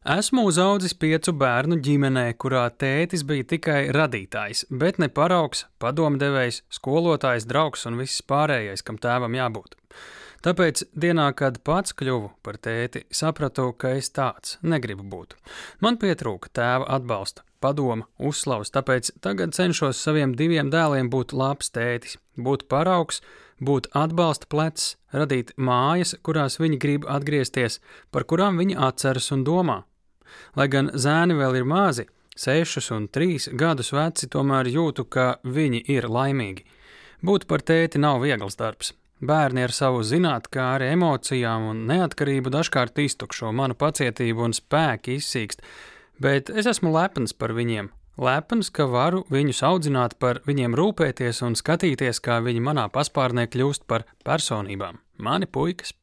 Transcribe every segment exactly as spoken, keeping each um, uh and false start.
Esmu uzaudzis piecu bērnu ģimenē, kurā tētis bija tikai radītājs, bet ne paraugs, padomdevējs, skolotājs, draugs un viss pārējais, kam tēvam jābūt. Tāpēc dienā, kad pats kļuvu par tēti, sapratu, ka es tāds negribu būt. Man pietrūka tēva atbalsta, padoma, uzslavas, tāpēc tagad cenšos saviem diviem dēliem būt labs tētis, būt paraugs, būt atbalsta plecs, radīt mājas, kurās viņi grib atgriezties, par kurām viņi atceras un domā. Lai gan zēni vēl ir mazi, sešus un trīs gadus veci, tomēr jūtu, ka viņi ir laimīgi. Būt par tēti nav viegls darbs. Bērni ar savu zinātkāri, emocijām un neatkarību dažkārt iztukšo manu pacietību un spēku izsīkst, bet es esmu lepns par viņiem. Lepns, ka varu viņus audzināt, par viņiem rūpēties un skatīties, kā viņi manā paspārnē kļūst par personībām. Mani puikas.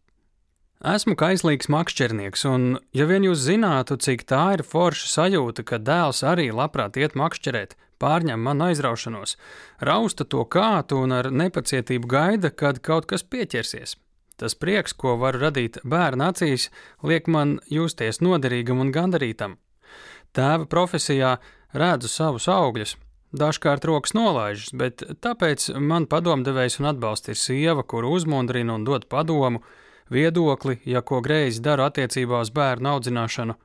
Esmu kaislīgs makšķernieks, un ja vien jūs zinātu, cik tā ir forša sajūta, ka dēls arī labprāt iet makšķerēt, pārņem manu aizraušanos, rausta to kātu un ar nepacietību gaida, kad kaut kas pieķersies. Tas prieks, ko varu radīt bērna acīs, liek man justies noderīgam un gandarītam. Tēva profesijā redzu savus augļus. Dažkārt rokas nolaižas, bet tāpēc man padomdevējs un atbalsts ir sieva, kuru uzmundrina un dod padomu, viedokli, ja ko greizi daru attiecībā uz bērnu audzināšanu.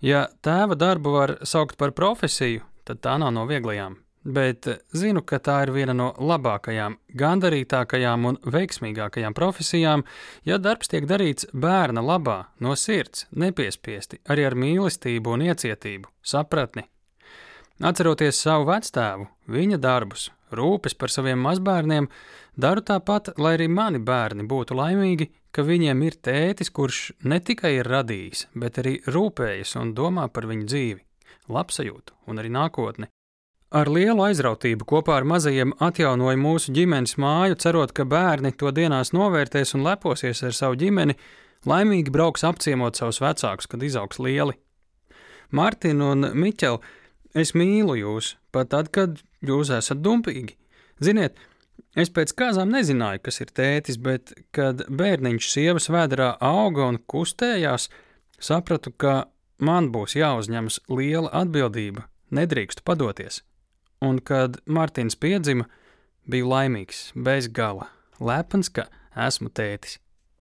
Ja tēva darbu var saukt par profesiju, tad tā nav no vieglajām, bet zinu, ka tā ir viena no labākajām, gandarītākajām un veiksmīgākajām profesijām, ja darbs tiek darīts bērna labā, no sirds, nepiespiesti, arī ar mīlestību un iecietību, sapratni. Atceroties savu vectēvu, viņa darbus, rūpes par saviem mazbērniem, daru tāpat, lai arī mani bērni būtu laimīgi, ka viņiem ir tētis, kurš ne tikai ir radījis, bet arī rūpējas un domā par viņu dzīvi, labsajūtu un arī nākotni. Ar lielu aizrautību kopā ar mazajiem atjaunoju mūsu ģimenes māju, cerot, ka bērni to dienās novērtēs un leposies ar savu ģimeni, laimīgi brauks apciemot savus vecākus, kad izaugs lieli. Martin un Miķel, es mīlu jūs, pat tad, kad jūs esat dumpīgi. Ziniet, es pēc kāzām nezināju, kas ir tētis, bet, kad bērniņš sievas vēderā auga un kustējās, sapratu, ka man būs jāuzņemas liela atbildība, nedrīkstu padoties. Un, kad Martins piedzima, biju laimīgs, bez gala, lepns, ka esmu tētis.